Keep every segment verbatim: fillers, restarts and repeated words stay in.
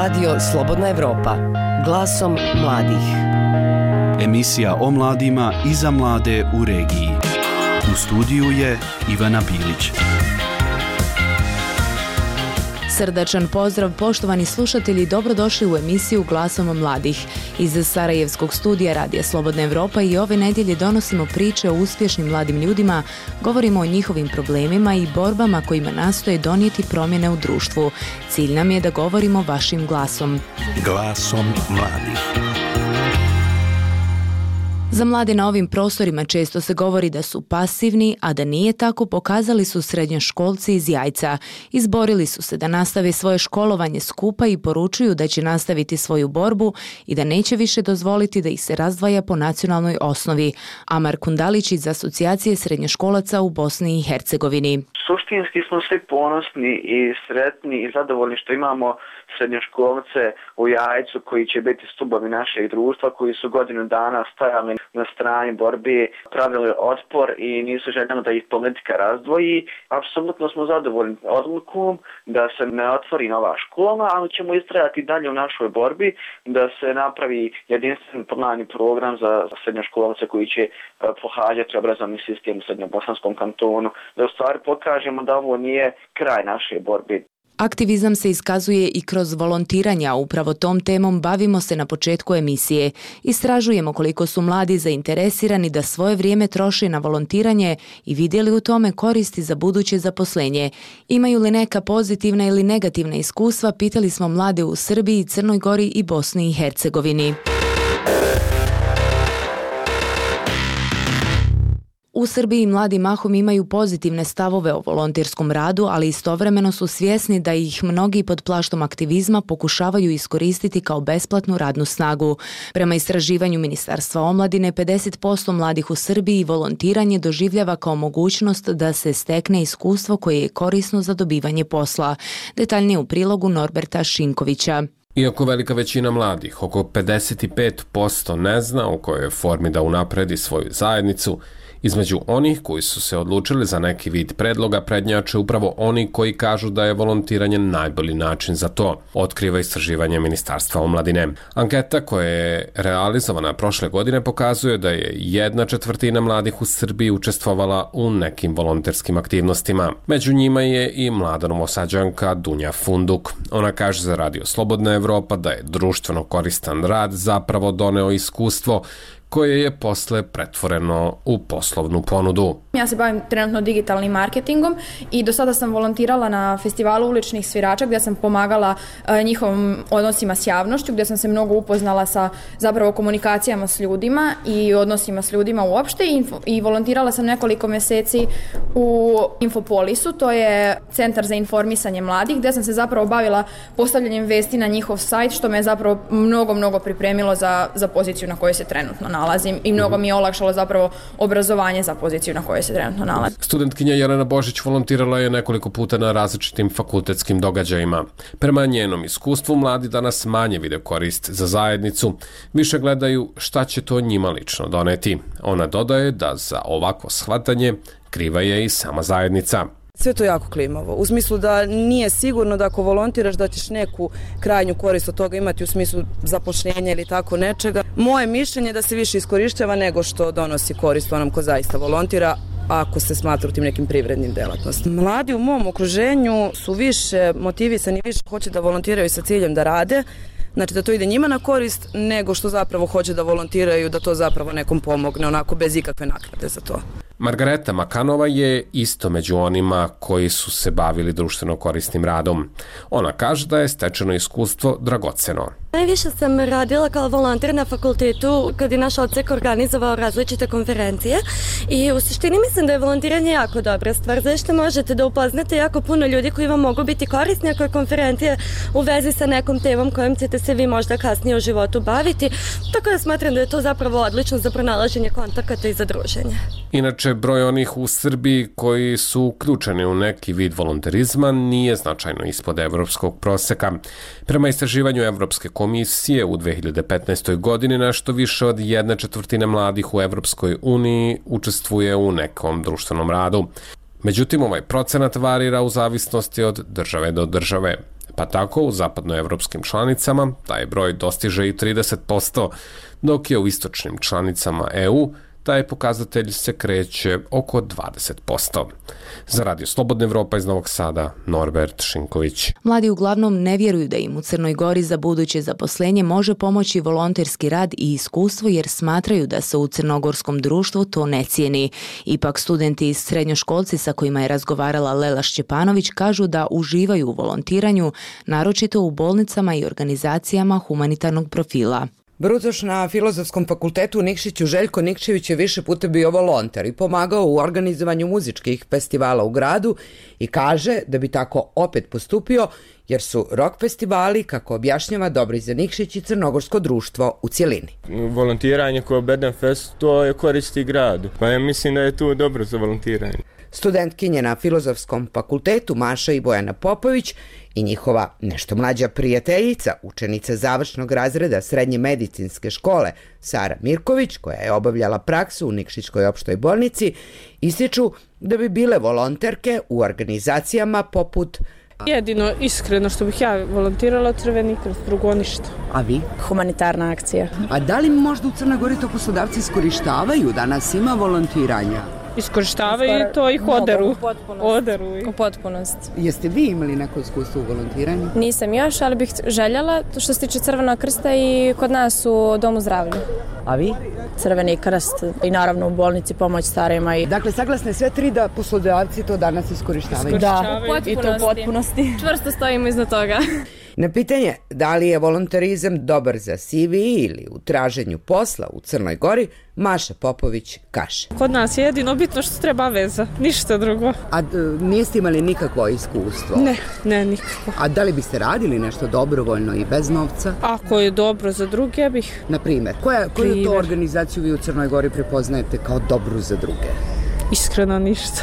Radio Slobodna Evropa, glasom mladih. Emisija o mladima i za mlade u regiji. U studiju je Ivana Bilić. Srdačan pozdrav, poštovani slušatelji, dobrodošli u emisiju Glasom mladih. Iz Sarajevskog studija Radija Slobodna Evropa i ove nedjelje donosimo priče o uspješnim mladim ljudima, govorimo o njihovim problemima i borbama kojima nastoje donijeti promjene u društvu. Cilj nam je da govorimo vašim glasom. Glasom mladih. Za mlade na ovim prostorima često se govori da su pasivni, a da nije tako pokazali su srednjoškolci iz Jajca. Izborili su se da nastave svoje školovanje skupa i poručuju da će nastaviti svoju borbu i da neće više dozvoliti da ih se razdvaja po nacionalnoj osnovi. Amar Kundalić iz Asocijacije srednjoškolaca u Bosni i Hercegovini. Suštinski smo svi ponosni i sretni i zadovoljni što imamo srednjoškolce u Jajcu koji će biti stubovi našeg društva, koji su godinu dana stajali na strani borbi, pravili otpor i nisu željeli da ih politika razdvoji. Apsolutno smo zadovoljni odlukom da se ne otvori nova škola, ali ćemo istrajati dalje u našoj borbi da se napravi jedinstven plan i program za srednjoškolce koji će pohađati obrazovni sistem u Srednjobosanskom kantonu, da u stvari pokažemo da ovo nije kraj naše borbe. Aktivizam se iskazuje i kroz volontiranja, upravo tom temom bavimo se na početku emisije. Istražujemo koliko su mladi zainteresirani da svoje vrijeme troše na volontiranje i vidjeli u tome koristi za buduće zaposlenje. Imaju li neka pozitivna ili negativna iskustva, pitali smo mlade u Srbiji, Crnoj Gori i Bosni i Hercegovini. U Srbiji mladi mahom imaju pozitivne stavove o volonterskom radu, ali istovremeno su svjesni da ih mnogi pod plaštom aktivizma pokušavaju iskoristiti kao besplatnu radnu snagu. Prema istraživanju Ministarstva omladine, pedeset posto mladih u Srbiji volontiranje doživljava kao mogućnost da se stekne iskustvo koje je korisno za dobivanje posla. Detaljnije u prilogu Norberta Šinkovića. Iako velika većina mladih, oko pedeset pet posto, ne zna u kojoj formi da unapredi svoju zajednicu, između onih koji su se odlučili za neki vid predloga prednjače upravo oni koji kažu da je volontiranje najbolji način za to, otkriva istraživanje Ministarstva omladine. Anketa koja je realizovana prošle godine pokazuje da je jedna četvrtina mladih u Srbiji učestvovala u nekim volonterskim aktivnostima. Među njima je i mlada Novosađanka Dunja Funduk. Ona kaže za Radio Slobodna Evropa da je društveno koristan rad zapravo doneo iskustvo koje je posle pretvoreno u poslovnu ponudu. Ja se bavim trenutno digitalnim marketingom i do sada sam volontirala na festivalu uličnih svirača gdje sam pomagala uh, njihovim odnosima s javnošću, gdje sam se mnogo upoznala sa zapravo komunikacijama s ljudima i odnosima s ljudima uopšte i, info, i volontirala sam nekoliko mjeseci u Infopolisu, to je centar za informisanje mladih, gdje sam se zapravo bavila postavljanjem vesti na njihov sajt, što me je zapravo mnogo, mnogo pripremilo za, za poziciju na kojoj se trenutno nalazim i mnogo mi je olakšalo zapravo obrazovanje za poziciju na kojoj se trenutno nalazim. Studentkinja Jelena Božić volontirala je nekoliko puta na različitim fakultetskim događajima. Prema njenom iskustvu mladi danas manje vide korist za zajednicu, više gledaju šta će to njima lično doneti. Ona dodaje da za ovako shvatanje kriva je i sama zajednica. Sve to jako klimavo, u smislu da nije sigurno da ako volontiraš da ćeš neku krajnju korist od toga imati u smislu zapošljenja ili tako nečega. Moje mišljenje je da se više iskorištava nego što donosi korist onom ko zaista volontira, ako se smatra u tim nekim privrednim delatnostima. Mladi u mom okruženju su više motivisani, više hoće da volontiraju sa ciljem da rade, znači da to ide njima na korist, nego što zapravo hoće da volontiraju, da to zapravo nekom pomogne, onako bez ikakve naknade za to. Margareta Makanova je isto među onima koji su se bavili društveno korisnim radom. Ona kaže da je stečeno iskustvo dragoceno. Najviše sam radila kao volonter na fakultetu kad je naš odsek organizovao različite konferencije i u suštini mislim da je volontiranje jako dobra stvar, zašto možete da upoznate jako puno ljudi koji vam mogu biti korisni ako je konferencija u vezi sa nekom temom kojom ćete se vi možda kasnije u životu baviti, tako da smatram da je to zapravo odlično za pronalaženje kontakata i za druženje. Inače, broj onih u Srbiji koji su uključeni u neki vid volonterizma nije značajno ispod evropskog proseka. Prema istraživanju Evropske komisije u dve hiljade petnaestoj. godini nešto više od jedne četvrtine mladih u Evropskoj uniji učestvuje u nekom društvenom radu. Međutim, ovaj procenat varira u zavisnosti od države do države. pa tako u zapadnoevropskim članicama taj broj dostiže i trideset posto, dok je u istočnim članicama E U taj pokazatelj se kreće oko dvadeset posto. Za Radio Slobodna Evropa iz Novog Sada, Norbert Šinković. Mladi uglavnom ne vjeruju da im u Crnoj Gori za buduće zaposlenje može pomoći volonterski rad i iskustvo jer smatraju da se u crnogorskom društvu to ne cijeni. Ipak studenti i srednjoškolci sa kojima je razgovarala Lela Šćepanović kažu da uživaju u volontiranju, naročito u bolnicama i organizacijama humanitarnog profila. Brucoš na Filozofskom fakultetu u Nikšiću Željko Nikčević je više puta bio volonter i pomagao u organizovanju muzičkih festivala u gradu i kaže da bi tako opet postupio jer su rock festivali, kako objašnjava, dobri za Nikšić i crnogorsko društvo u cjelini. Volontiranje kao Beden Fest, to je koristi gradu, pa ja mislim da je to dobro za volontiranje. Studentkinje na Filozofskom fakultetu Maša i Bojana Popović i njihova nešto mlađa prijateljica, učenica završnog razreda srednje medicinske škole Sara Mirković, koja je obavljala praksu u Nikšićkoj opštoj bolnici, ističu da bi bile volonterke u organizacijama poput jedino iskreno što bih ja volontirala Crveni krst, drugo ništa. A vi? Humanitarna akcija. A da li možda u Crnoj Gori to poslodavci iskorištavaju? Danas ima volontiranja? Iskorištavaju to ih oderu. Oderu. U potpunosti. Jeste vi imali neko iskustvo u volontiranju? Nisam još, ali bih željela, što se tiče Crvenog krsta i kod nas u Domu zdravlja. A vi? Crveni krst i naravno u bolnici pomoć starima. I... Dakle, saglasne sve tri da poslodavci to danas iskorištavaju? Da, i to u potpunosti. Čvrsto stojimo iznad toga. Na pitanje da li je volonterizam dobar za C V ili u traženju posla u Crnoj Gori, Maša Popović kaže. Kod nas je jedino bitno što treba veza, ništa drugo. A d- niste imali nikakvo iskustvo? Ne, ne, nikako. A da li biste radili nešto dobrovoljno i bez novca? Ako je dobro za druge, bih. Na primjer, koja, koju to organizaciju vi u Crnoj Gori prepoznajete kao dobru za druge? Iskreno ništa.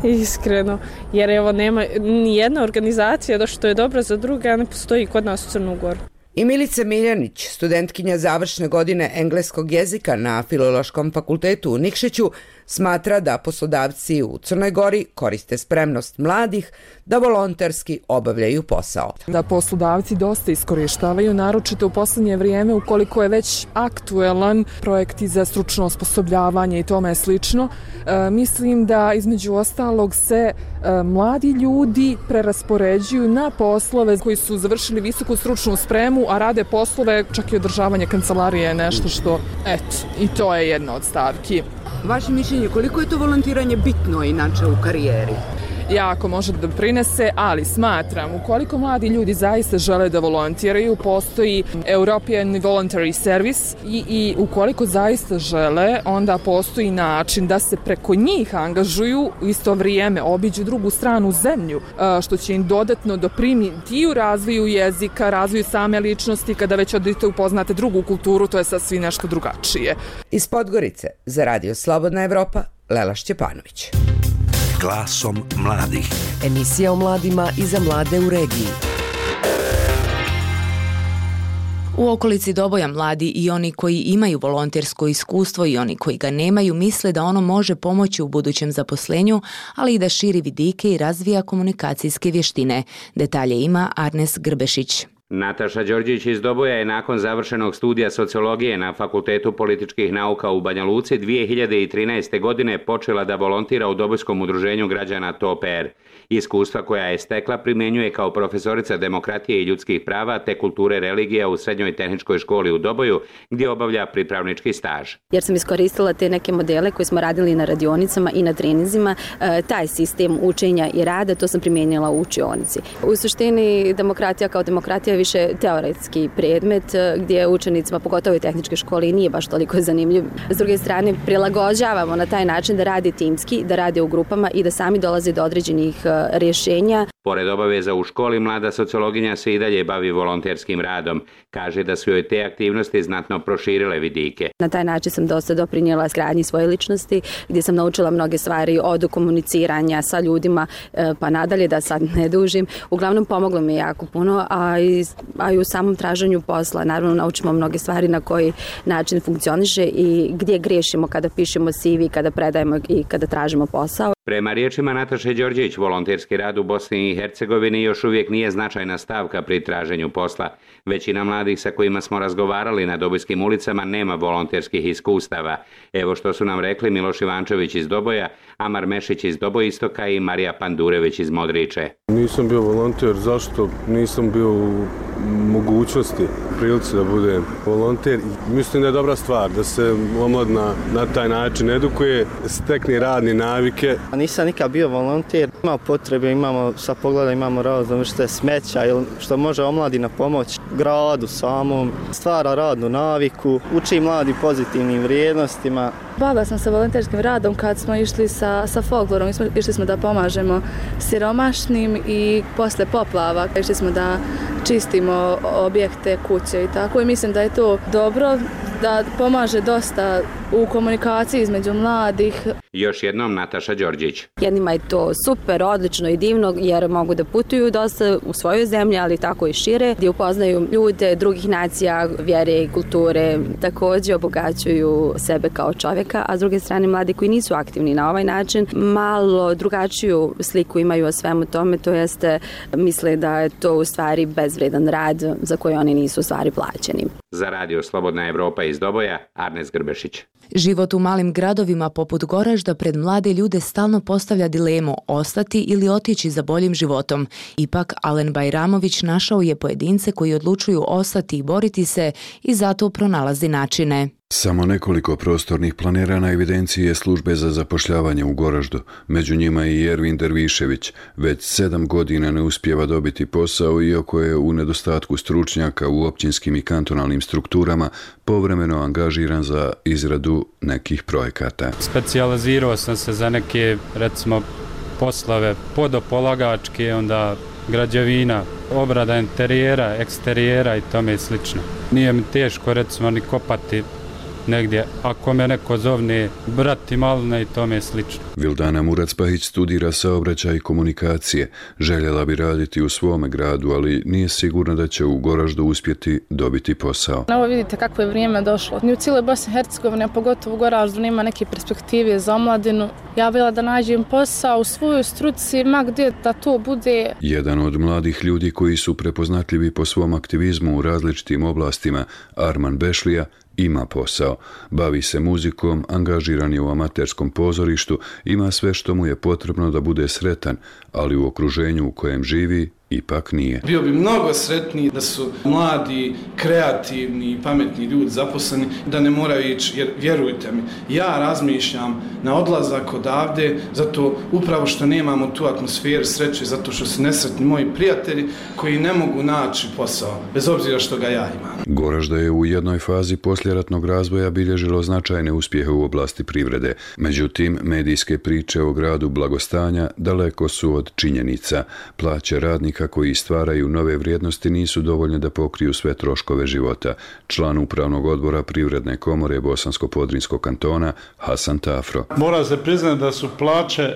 Iskreno, jer evo nema ni jedna organizacija da što je dobra za druge, a ne postoji kod nas u Crnu Goru. I Milica Miljanić, studentkinja završne godine engleskog jezika na Filološkom fakultetu u Nikšiću, smatra da poslodavci u Crnoj Gori koriste spremnost mladih da volonterski obavljaju posao. Da poslodavci dosta iskorištavaju, naročito u posljednje vrijeme ukoliko je već aktuelan projekti za stručno osposobljavanje i tome slično. E, mislim da između ostalog se e, mladi ljudi preraspoređuju na poslove koji su završili visoku stručnu spremu, a rade poslove, čak i održavanje kancelarije je nešto što, eto, i to je jedna od stavki. Vaše mišljenje, koliko je to volontiranje bitno inače u karijeri? Jako može da doprinese, ali smatram, ukoliko mladi ljudi zaista žele da volontiraju, postoji European Voluntary Service i, i ukoliko zaista žele, onda postoji način da se preko njih angažuju u isto vrijeme, obiđu drugu stranu zemlju, što će im dodatno doprinijeti i u razvoju jezika, razvoju same ličnosti, kada već odete upoznate drugu kulturu, to je sasvim nešto drugačije. Iz Podgorice za Radio Slobodna Evropa, Lela Šćepanović. Glasom mladih. Emisija o mladima i za mlade u regiji. U okolici Doboja mladi i oni koji imaju volontersko iskustvo i oni koji ga nemaju misle da ono može pomoći u budućem zaposlenju, ali i da širi vidike i razvija komunikacijske vještine. Detalje ima Arnes Grbešić. Nataša Đorđević iz Doboja je nakon završenog studija sociologije na Fakultetu političkih nauka u Banja Luci dvije hiljade trinaeste. godine počela da volontira u Dobojskom udruženju građana T O P R. Iskustva koja je stekla primjenjuje kao profesorica demokratije i ljudskih prava te kulture religija u Srednjoj tehničkoj školi u Doboju, gdje obavlja pripravnički staž. Jer sam iskoristila te neke modele koje smo radili na radionicama i na treninzima, taj sistem učenja i rada, to sam primijenila u učionici. U suštini demokratija kao demokratija je više teoretski predmet gdje učenicima, pogotovo i tehničke škole, nije baš toliko zanimljiv. S druge strane, prilagođavamo na taj način da radi timski, da radi u grupama i da sami dolaze do određenih rješenja. Pored obaveza u školi, mlada sociologinja se i dalje bavi volonterskim radom. Kaže da su joj te aktivnosti znatno proširile vidike. Na taj način sam dosta doprinijela izgradnji svoje ličnosti, gdje sam naučila mnoge stvari od komuniciranja sa ljudima, pa nadalje, da sad ne dužim. Uglavnom pomoglo mi jako puno, a i, a i u samom traženju posla. Naravno, naučimo mnoge stvari na koji način funkcioniše i gdje grešimo kada pišemo C V, kada predajemo i kada tražimo posao. Prema riječima Nataše Đorđević, volonterski rad u Bosni i Hercegovini još uvijek nije značajna stavka pri traženju posla. Većina mladih sa kojima smo razgovarali na Dobojskim ulicama nema volonterskih iskustava. Evo što su nam rekli Miloš Ivančević iz Doboja, Amar Mešić iz Dobojistoka i Marija Pandurević iz Modriče. Nisam bio volonter, zašto? Nisam bio u mogućnosti, prilici da budem volonter. Mislim da je dobra stvar da se omladina na taj način edukuje, stekne radne navike. Nisam nikad bio volonter, imamo potrebe, imamo sa pogleda, imamo razum što je smeća ili što može omladina pomoći gradu samom, stvara radnu naviku, uči mladi pozitivnim vrijednostima. Bavila sam se volonterskim radom kad smo išli sa, sa folklorom, išli smo da pomažemo siromašnim i posle poplava išli smo da čistimo objekte, kuće i tako i mislim da je to dobro, da pomaže dosta u komunikaciji između mladih. Još jednom Nataša Đorđić. Jednima je to super, odlično i divno jer mogu da putuju dosta u svojoj zemlji, ali tako i šire, gdje upoznaju ljude drugih nacija, vjere i kulture, također obogaćuju sebe kao čovjeka, a s druge strane mladi koji nisu aktivni na ovaj način malo drugačiju sliku imaju o svemu tome, to jeste misle da je to u stvari bezvredan rad za koji oni nisu u stvari plaćeni. Za Radio Slobodna Evropa iz Doboja, Arnes Grbešić. Život u malim gradovima poput Goražda pred mlade ljude stalno postavlja dilemu ostati ili otići za boljim životom. Ipak, Alen Bajramović našao je pojedince koji odlučuju ostati i boriti se i zato pronalazi načine. Samo nekoliko prostornih planera na evidenciji je službe za zapošljavanje u Goraždu. Među njima i Ervin Dervišević. Već sedam godina ne uspijeva dobiti posao, iako je u nedostatku stručnjaka u općinskim i kantonalnim strukturama povremeno angažiran za izradu nekih projekata. Specijalizirao sam se za neke, recimo, poslove podopolagačke, onda građevina, obrada interijera, eksterijera i tome slično. Nije mi teško, recimo, ni kopati negdje, ako me neko zovne brati malne i tome slično. Vildana Murac-Pahić studira saobraćaj i komunikacije. Željela bi raditi u svome gradu, ali nije sigurna da će u Goraždu uspjeti dobiti posao. Evo vidite kako je vrijeme došlo. Ni u cijeloj Bosni i Hercegovini, a pogotovo u Goraždu, nema neke perspektive za omladinu. Ja bila da nađem posao u svojoj struci, ma gdje da to bude. Jedan od mladih ljudi koji su prepoznatljivi po svom aktivizmu u različitim oblastima, Arman Bešlija, ima posao. Bavi se muzikom, angažiran je u amaterskom pozorištu, ima sve što mu je potrebno da bude sretan, ali u okruženju u kojem živi ipak nije. Bio bi mnogo sretniji da su mladi, kreativni i pametni ljudi zaposleni, da ne moraju ići, jer vjerujte mi, ja razmišljam na odlazak odavde, zato upravo što nemamo tu atmosferu sreće, zato što su nesretni moji prijatelji koji ne mogu naći posao, bez obzira što ga ja imam. Goražda je u jednoj fazi poslijeratnog razvoja bilježilo značajne uspjehe u oblasti privrede. Međutim, medijske priče o gradu blagostanja daleko su od činjenica. Plaće radnika koji stvaraju nove vrijednosti nisu dovoljne da pokriju sve troškove života. Član upravnog odbora Privredne komore Bosansko-Podrinjskog kantona Hasan Tafro. Mora se priznati da su plaće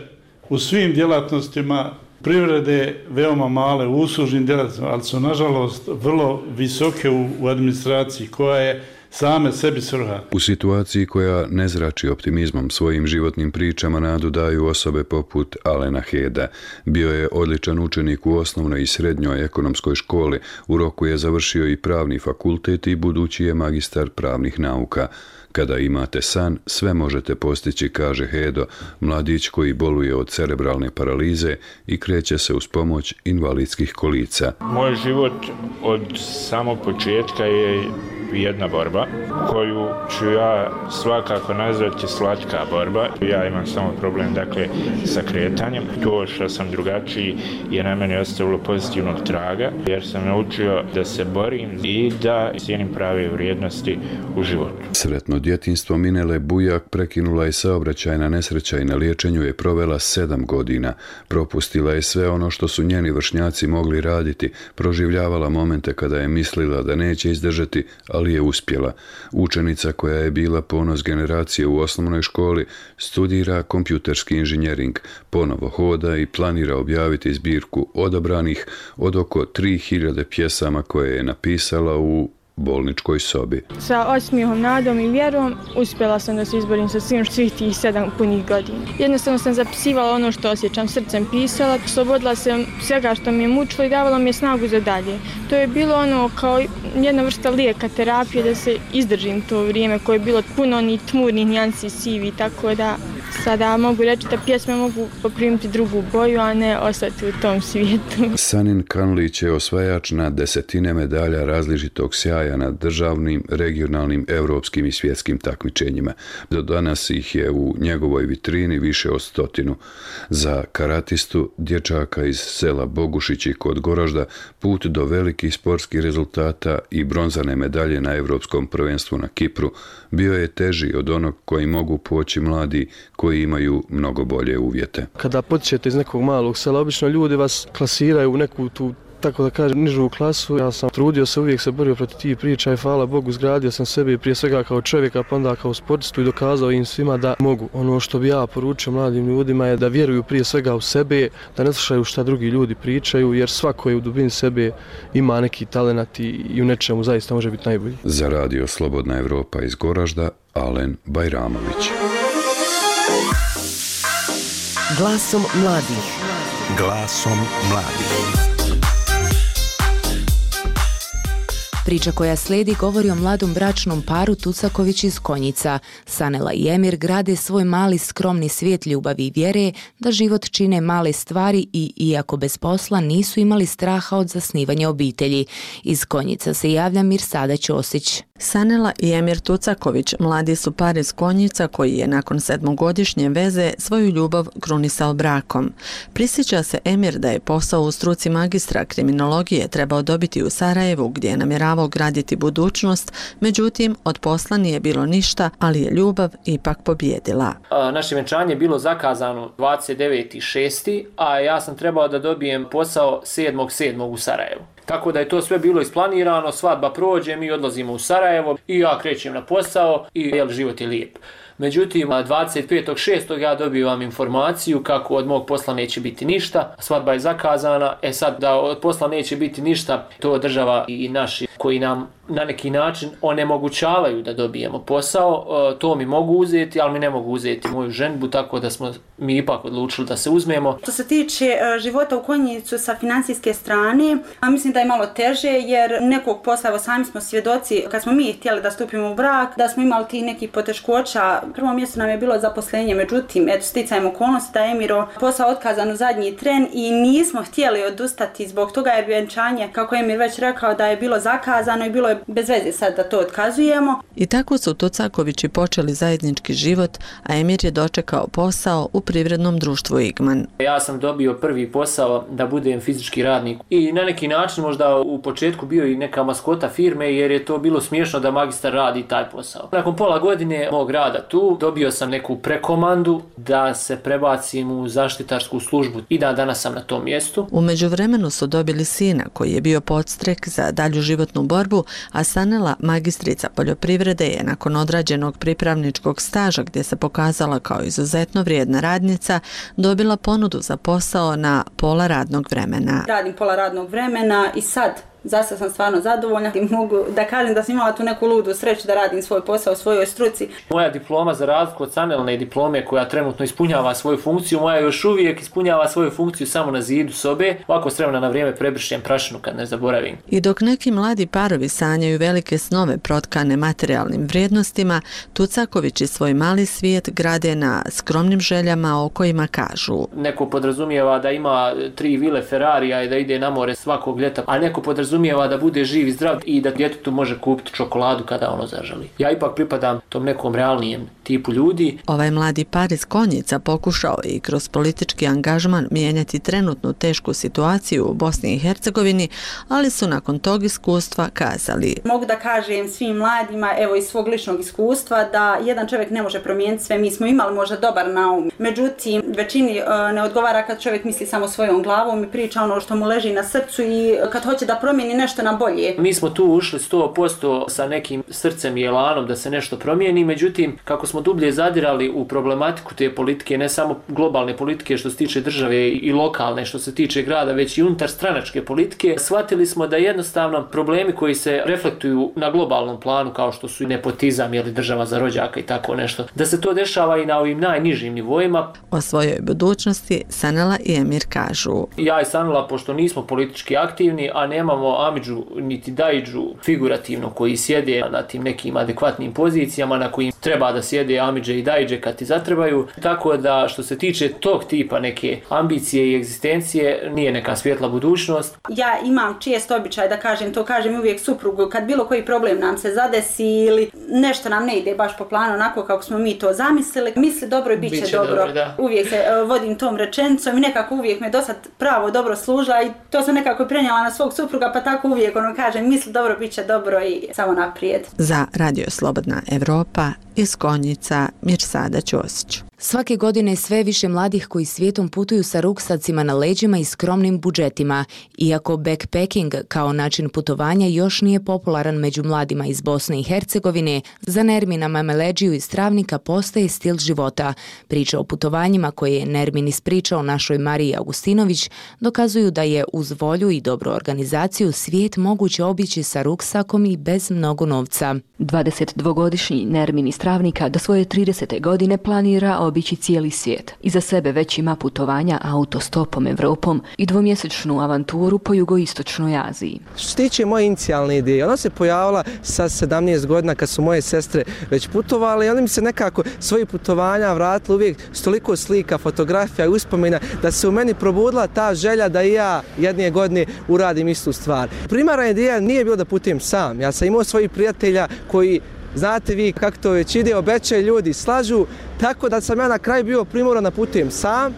u svim djelatnostima privrede veoma male u uslužnim djelatnostima, ali su nažalost vrlo visoke u, u administraciji koja je same sebi svrha. U situaciji koja ne zrači optimizmom, svojim životnim pričama nadu daju osobe poput Alena Heda. Bio je odličan učenik u osnovnoj i srednjoj ekonomskoj školi, u roku je završio i pravni fakultet i budući je magistar pravnih nauka. Kada imate san, sve možete postići, kaže Hedo, mladić koji boluje od cerebralne paralize i kreće se uz pomoć invalidskih kolica. Moj život od samog početka je jedna borba koju ću ja svakako nazvati slatka borba. Ja imam samo problem, dakle, sa kretanjem. To što sam drugačiji je na mene ostavilo pozitivnog traga, jer sam naučio da se borim i da cijenim prave vrijednosti u životu. Sretno djetinjstvo Minele Bujak prekinula je saobraćajna nesreća i na liječenju je provela sedam godina. Propustila je sve ono što su njeni vršnjaci mogli raditi, proživljavala momente kada je mislila da neće izdržati, ali je uspjela. Učenica koja je bila ponos generacije u osnovnoj školi studira kompjuterski inženjering, ponovo hoda i planira objaviti zbirku odabranih od oko tri hiljade pjesama koje je napisala u bolničkoj sobi. Sa osmijehom, nadom i vjerom uspjela sam da se izborim sa svim svih tih sedam punih godina. Jednostavno sam zapisivala ono što osjećam, srcem pisala, slobodila sam svega što mi je mučilo i davala mi je snagu za dalje. To je bilo ono kao jedna vrsta lijeka, terapije da se izdržim to vrijeme koje je bilo puno onih tmurnih nijansi, sivi, tako da sada mogu reći da pjesme mogu poprimiti drugu boju, a ne ostati u tom svijetu. Sanin Kanlić je osvajač na desetine medalja različitog sjaja na državnim, regionalnim, evropskim i svjetskim takmičenjima. Do danas ih je u njegovoj vitrini više od stotinu. Za karatistu, dječaka iz sela Bogušići kod Goražda, put do velikih sportskih rezultata i bronzane medalje na evropskom prvenstvu na Kipru bio je teži od onog koji mogu poći mladi koji imaju mnogo bolje uvjete. Kada potičete iz nekog malog sela, obično ljudi vas klasiraju u neku tu, tako da kažem, nižu klasu. Ja sam trudio se, uvijek se borio protiv tih priča i hvala Bogu zgradio sam sebe prije svega kao čovjeka, pa onda kao sportistu i dokazao im svima da mogu. Ono što bi ja poručio mladim ljudima je da vjeruju prije svega u sebe, da ne slušaju šta drugi ljudi pričaju, jer svako je u dubini sebe ima neki talenat i u nečemu zaista može biti najbolji. Za radio Slobodna Evropa iz Goražda, Alen Bajramović. Glasom mladih. Glasom mladih. Priča koja slijedi govori o mladom bračnom paru Tucaković iz Konjica. Sanela i Emir grade svoj mali skromni svijet ljubavi i vjere da život čine male stvari i, iako bez posla, nisu imali straha od zasnivanja obitelji. Iz Konjica se javlja Mirsada Ćosić. Sanela i Emir Tucaković mladi su par iz Konjica koji je nakon sedmogodišnje veze svoju ljubav krunisao brakom. Prisjeća se Emir da je posao u struci magistra kriminologije trebao dobiti u Sarajevu gdje je namjeravao graditi budućnost, međutim od posla nije bilo ništa, ali je ljubav ipak pobjedila. Naše venčanje je bilo zakazano dvadeset deveti šesti a ja sam trebao da dobijem posao sedmog sedmog u Sarajevu. Tako da je to sve bilo isplanirano, svadba prođe, mi odlazimo u Sarajevo i ja krećem na posao i jel, život je lijep. Međutim, dvadeset petog šestog ja dobivam informaciju kako od mog posla neće biti ništa, svadba je zakazana, e sad da od posla neće biti ništa, to država i naši koji nam na neki način onemogućavaju da dobijemo posao, to mi mogu uzeti, ali mi ne mogu uzeti moju ženbu, tako da smo mi ipak odlučili da se uzmemo. Što se tiče života u Konjicu sa financijske strane, mislim da je malo teže jer nekog posla, evo sami smo svjedoci, kad smo mi htjeli da stupimo u brak, da smo imali ti nekih poteškoća. Prvo mjesto nam je bilo zaposlenje, međutim, eto sticajem okolnosti da je Emiro posao otkazan u zadnji tren i nismo htjeli odustati zbog toga jer vjenčanje, kako je Emir već rekao, da je bilo zakazano i bilo je bez veze sad da to otkazujemo. I tako su Tucakovići počeli zajednički život, a Emir je dočekao posao u privrednom društvu Igman. Ja sam dobio prvi posao da budem fizički radnik i na neki način možda u početku bio i neka maskota firme jer je to bilo smiješno da magistar radi taj posao. Nakon pola godine mog rada tu dobio sam neku prekomandu da se prebacim u zaštitarsku službu i da danas sam na tom mjestu. U međuvremenu su dobili sina koji je bio podstrek za dalju životnu borbu, a Sanela, magistrica poljoprivrede, je nakon odrađenog pripravničkog staža gdje se pokazala kao izuzetno vrijedna radnica, dobila ponudu za posao na pola radnog vremena. Radim pola radnog vremena i sad Zasta sam stvarno zadovoljna i mogu da kažem da sam imala tu neku ludu sreću da radim svoj posao u svojoj struci. Moja diploma, za razliku od Sanelne diplome koja trenutno ispunjava svoju funkciju, moja još uvijek ispunjava svoju funkciju samo na zidu sobe. Ovako s vremena na vrijeme prebrišem prašinu kad ne zaboravim. I dok neki mladi parovi sanjaju velike snove protkane materijalnim vrijednostima, Tucakovići svoj mali svijet grade na skromnim željama o kojima kažu. Neko podrazumijeva da ima tri vile Ferrarija i da ide na more svakog ljeta, a neko podrazumijeva da bude živ i zdrav i da djetetu može kupiti čokoladu kada ono zaželi. Ja ipak pripadam tom nekom realnijem tipu ljudi. Ovaj mladi par iz Konjica pokušao je i kroz politički angažman mijenjati trenutnu tešku situaciju u Bosni i Hercegovini, ali su nakon tog iskustva kazali: mogu da kažem svim mladima, evo iz svog ličnog iskustva, da jedan čovjek ne može promijeniti sve. Mi smo imali možda dobar naum, međutim većini ne odgovara kad čovjek misli samo svojom glavom i priča ono što mu leži na srcu i kad hoće da promijeni nešto na bolje. Mi smo tu ušli sto posto sa nekim srcem i elanom da se nešto promijeni, međutim, kako smo smo dublje zadirali u problematiku te politike, ne samo globalne politike što se tiče države i lokalne što se tiče grada, već i unutar stranačke politike, shvatili smo da jednostavno problemi koji se reflektuju na globalnom planu, kao što su nepotizam ili država za rođaka i tako nešto, da se to dešava i na ovim najnižim nivoima. O svojoj budućnosti Sanela i Emir kažu. Ja i Sanela, pošto nismo politički aktivni, a nemamo amidžu niti daidžu figurativno koji sjede na tim nekim adekvatnim pozicijama na kojim treba da sjede amidže i daidže kad ti zatrebaju, tako da što se tiče tog tipa neke ambicije i egzistencije nije neka svjetla budućnost. Ja imam čest običaj da kažem, to kažem uvijek suprugu, kad bilo koji problem nam se zadesi ili nešto nam ne ide baš po planu onako kako smo mi to zamislili, misli dobro i bit će, Biće dobro. dobro uvijek se uh, vodim tom rečenicom i nekako uvijek me do sad pravo dobro služila i to sam nekako prenijela na svog supruga, pa tako uvijek ono kažem, misli dobro, bit će dobro i samo naprijed. Za Radio Slobodna Evropa iz Konjica Mirsada Ćosić. Svake godine sve više mladih koji svijetom putuju sa ruksacima na leđima i skromnim budžetima. Iako backpacking kao način putovanja još nije popularan među mladima iz Bosne i Hercegovine, za Nermina Mameleđiju iz Travnika postaje stil života. Priče o putovanjima koje je Nermin ispričao našoj Mariji Augustinović dokazuju da je uz volju i dobru organizaciju svijet moguće obići sa ruksakom i bez mnogo novca. dvadesetdvogodišnji Nermin iz Travnika do svoje tridesete godine planira obići cijeli svijet. Iza sebe već ima putovanja autostopom Evropom i dvomjesečnu avanturu po jugoistočnoj Aziji. Što se tiče moje inicijalne ideje, ona se pojavila sa sedamnaest godina kad su moje sestre već putovale i onda mi se nekako svoje putovanja vratila uvijek s toliko slika, fotografija i uspomena da se u meni probudila ta želja da i ja jedne godine uradim istu stvar. Primarna ideja nije bilo da putujem sam. Ja sam imao svojih prijatelja koji, znate vi kako to već ide, obećaju ljudi, slažu, tako da sam ja na kraju bio primoran da putujem sam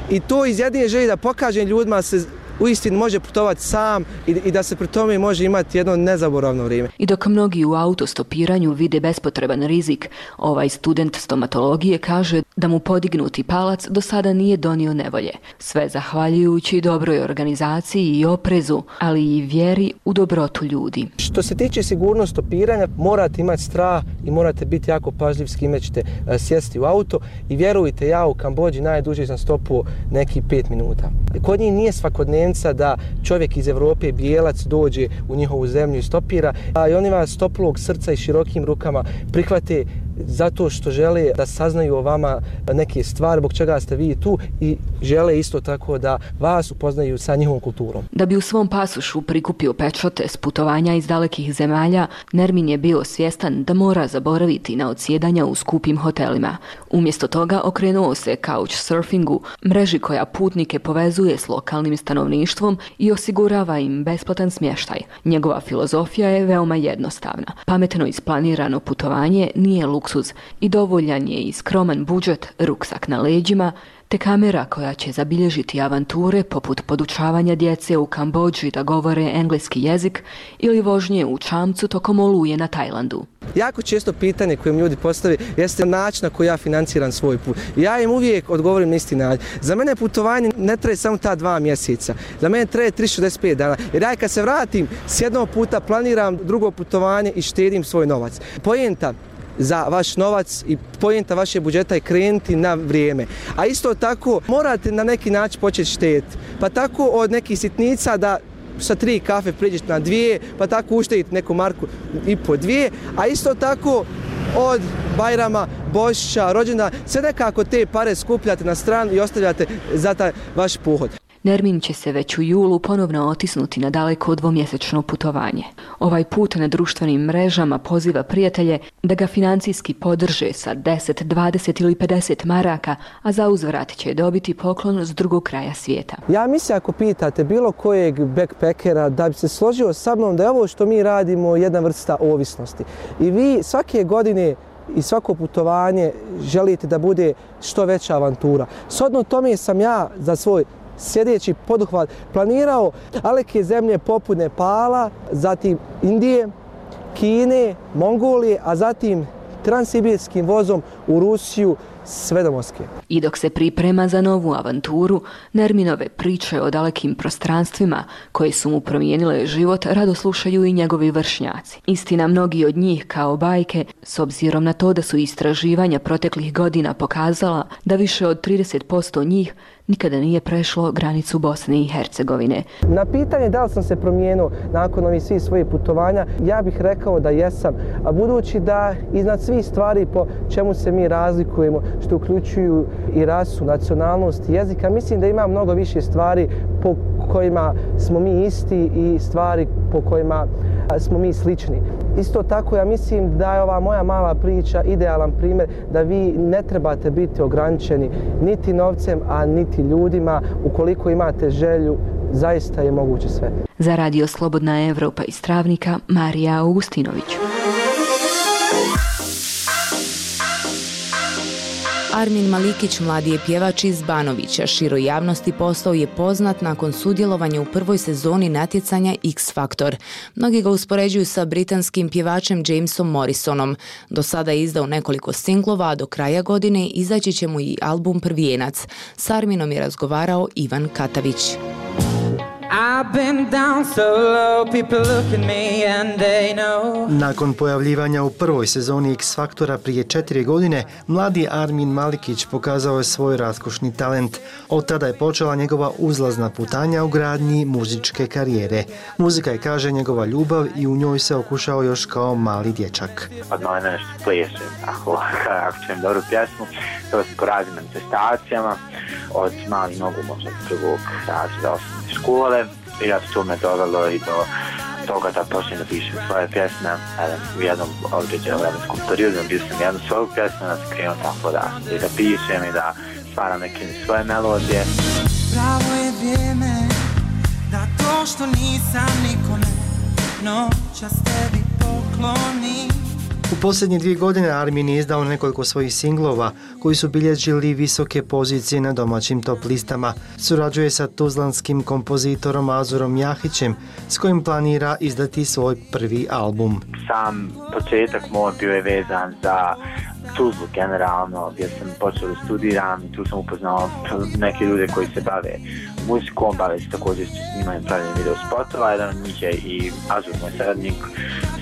i to iz jedine želje da pokažem ljudima se uistinu može putovati sam i, i da se pri tome može imati jedno nezaboravno vrijeme. I dok mnogi u autostopiranju vide bespotreban rizik, ovaj student stomatologije kaže da mu podignuti palac do sada nije donio nevolje. Sve zahvaljujući dobroj organizaciji i oprezu, ali i vjeri u dobrotu ljudi. Što se tiče sigurnosti stopiranja, morate imati strah i morate biti jako pažljiv s kime ćete sjesti u auto i vjerujte, ja u Kambodži najduže sam stopuo neki pet minuta. Kod njih nije svakodnevno da čovjek iz Evrope, bijelac, dođe u njihovu zemlju i stopira, a i oni vas toplog srca i širokim rukama prihvate zato što žele da saznaju o vama neke stvari, zbog čega ste vi tu i žele isto tako da vas upoznaju sa njihovom kulturom. Da bi u svom pasošu prikupio pečate s putovanja iz dalekih zemalja, Nermin je bio svjestan da mora zaboraviti na odsjedanja u skupim hotelima. Umjesto toga okrenuo se couchsurfingu, mreži koja putnike povezuje s lokalnim stanovništvom i osigurava im besplatan smještaj. Njegova filozofija je veoma jednostavna. Pametno isplanirano putovanje nije luksuz i dovoljan je i skroman budžet, ruksak na leđima, te kamera koja će zabilježiti avanture poput podučavanja djece u Kambodži da govore engleski jezik ili vožnje u čamcu tokom oluje na Tajlandu. Jako često pitanje koje mi ljudi postave jeste način na koji ja financiram svoj put. Ja im uvijek odgovorim na isti način. Za mene putovanje ne traje samo ta dva mjeseca. Za mene traje tristo šezdeset pet dana. Jer ja kad se vratim s jednog puta planiram drugo putovanje i štedim svoj novac. Poenta za vaš novac i pojenta vaše budžeta je krenuti na vrijeme. A isto tako morate na neki način početi štediti. Pa tako od nekih sitnica da sa tri kafe priđete na dvije, pa tako uštedite neku marku i po dvije, a isto tako od Bajrama, Božića, rođendana, sve nekako te pare skupljate na stranu i ostavljate za taj vaš pohod. Nermin će se već u julu ponovno otisnuti na daleko dvomjesečno putovanje. Ovaj put na društvenim mrežama poziva prijatelje da ga financijski podrže sa deset, dvadeset ili pedeset maraka, a za uzvrat će dobiti poklon s drugog kraja svijeta. Ja mislim ako pitate bilo kojeg backpackera da bi se složio sa mnom da je ovo što mi radimo jedna vrsta ovisnosti. I vi svake godine i svako putovanje želite da bude što veća avantura. Shodno tome sam ja za svoj sljedeći poduhvat planirao daleke zemlje poput Nepala, zatim Indije, Kine, Mongolije, a zatim transsibirskim vozom u Rusiju sve do Moskve. I dok se priprema za novu avanturu, Nerminove priče o dalekim prostranstvima koje su mu promijenile život rado slušaju i njegovi vršnjaci. Istina, mnogi od njih kao bajke, s obzirom na to da su istraživanja proteklih godina pokazala da više od trideset posto njih nikada nije prešlo granicu Bosne i Hercegovine. Na pitanje da li sam se promijenio nakon ovih svih svojih putovanja, ja bih rekao da jesam. A budući da iznad svih stvari po čemu se mi razlikujemo, što uključuju i rasu, nacionalnost, jezika, mislim da ima mnogo više stvari po kojima smo mi isti i stvari po kojima smo mi slični. Isto tako ja mislim da je ova moja mala priča idealan primjer da vi ne trebate biti ograničeni niti novcem, a niti ljudima. Ukoliko imate želju, zaista je moguće sve. Za Radio Slobodna Evropa iz Travnika, Marija Augustinović. Armin Malikić, mladi je pjevač iz Banovića. Široj javnosti postao je poznat nakon sudjelovanja u prvoj sezoni natjecanja X Factor. Mnogi ga uspoređuju sa britanskim pjevačem Jamesom Morrisonom. Do sada je izdao nekoliko singlova, a do kraja godine izaći će mu i album Prvijenac. S Arminom je razgovarao Ivan Katavić. Nakon pojavljivanja u prvoj sezoni X Faktora prije četiri godine, mladi Armin Malikić pokazao je svoj raskošni talent. Od tada je počela njegova uzlazna putanja u gradnji muzičke karijere. Muzika je, kaže, njegova ljubav i u njoj se okušao još kao mali dječak. Od moj nešto plešem, ako, ako čujem dobru pjesmu, to se po raznim manifestacijama, od mali nogu možda prvog razreda osnovne škole. I ja to me dovelo i do toga da počnem da pišem svoje pjesme. U jednom određenom vremenskom periodu bio sam jednu svoju pjesmu, da se krenuo tako da, i da pišem i da stvaram neke svoje melodije. Pravo je vrijeme da to što nisam nikome noćas tebi poklonim. U posljednje dvije godine Armin je izdao nekoliko svojih singlova koji su bilježili visoke pozicije na domaćim top listama. Surađuje sa tuzlanskim kompozitorom Azurom Jahićem s kojim planira izdati svoj prvi album. Sam početak moj bio je vezan za Tuzlu generalno, gdje sam počeo da studiram i tu sam upoznao neke ljude koji se bave muzikom, bave se također s snimanjem pravljenjem video spotova. Jedan od njih je i Azur, moj saradnik,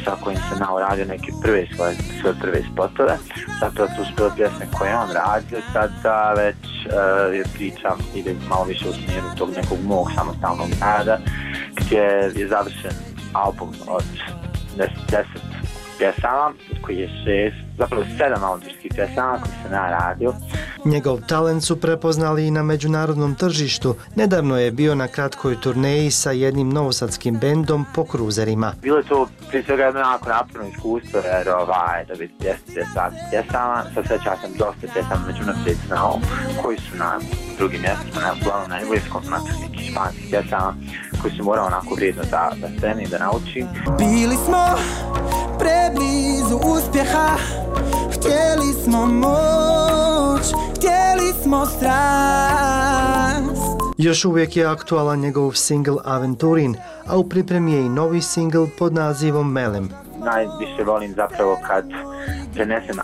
sa kojim sam nao radio neke prve svoje, svoje prve spotove. Zapravo tu su bile pjesme koje on radio, sada već uh, je priča ide malo više u smjeru tog nekog mog samostalnog rada, gdje je završen album od deset pjesama, koji je šest, zapravo sedam autorskih pjesama koji se naradio. Njegov talent su prepoznali i na međunarodnom tržištu. Nedavno je bio na kratkoj turneji sa jednim novosadskim bendom po kruzerima. Bilo je to prije svega jedno jako naporno iskustvo, jer ovaj, da biti deset pjesama, sa sveća sam dosta pjesama međunaprijed znao, koji su na drugim mjestima, na uglavnom na engleskom, na nekih španskih pjesama, koji su morao onako vrijedno da, da sceni i da naučim. Bili smo preblizu uspjeha, htjeli smo moć, htjeli smo strast. Još uvijek je aktualan njegov singl Aventurin, a u pripremi je i novi singl pod nazivom Melem. Najviše volim zapravo kad prenesem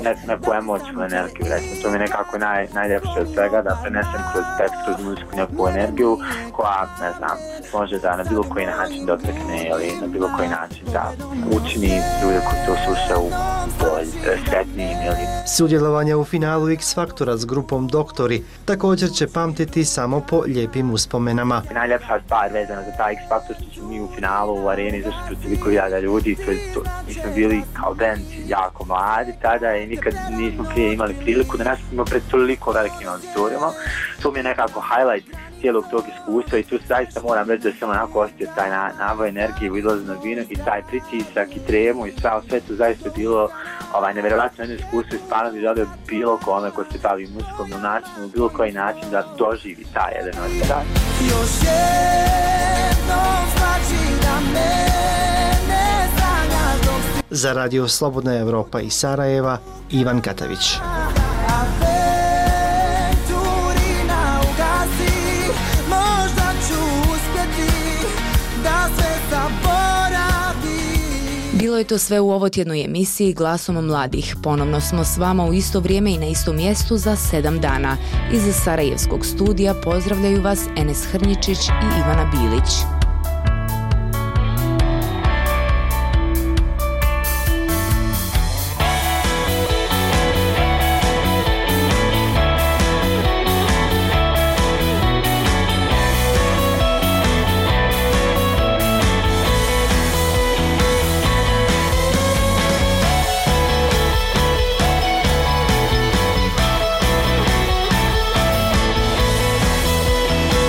neku, neku emocijnu energiju, recimo. To mi je nekako naj, najljepše od svega, da prenesem kroz tekst, kroz muziku neku energiju koja, ne znam, može da na bilo koji način dotekne ili na bilo koji način da učini ljude koji to slušaju bolj sretnijim ili... Sudjelovanje u finalu X Faktora s grupom Doktori također će pamtiti samo po lijepim uspomenama. Najljepša stvar vezana za taj X Faktor što smo mi u finalu u areni zašto protiv toliko hiljada ljudi, to, to, mi smo bili kao band jako mladi tada i nikad nismo prije imali priliku da nastupimo pred toliko velikim auditorijama. To mi je nekako highlight cijelog tog iskustva i tu zaista moram reći da sam onako osjetio taj naboj energije u izlaznog vina i taj pritisak i tremu i sve, sve to zaista bilo ovaj, nevjerovatno jedno iskustvo i stvarno bi želio bilo kome ko se bavi muzikom na način, u bilo koji način da doživi taj jedan osjećaj. Još jednom znači da mene zanjaš dok si... Za Radio Slobodna Evropa iz Sarajeva, Ivan Katavić. Bilo je to sve u ovotjednoj emisiji Glasom mladih. Ponovno smo s vama u isto vrijeme i na istom mjestu za sedam dana. Iz Sarajevskog studija pozdravljaju vas Enes Hrnjičić i Ivana Bilić.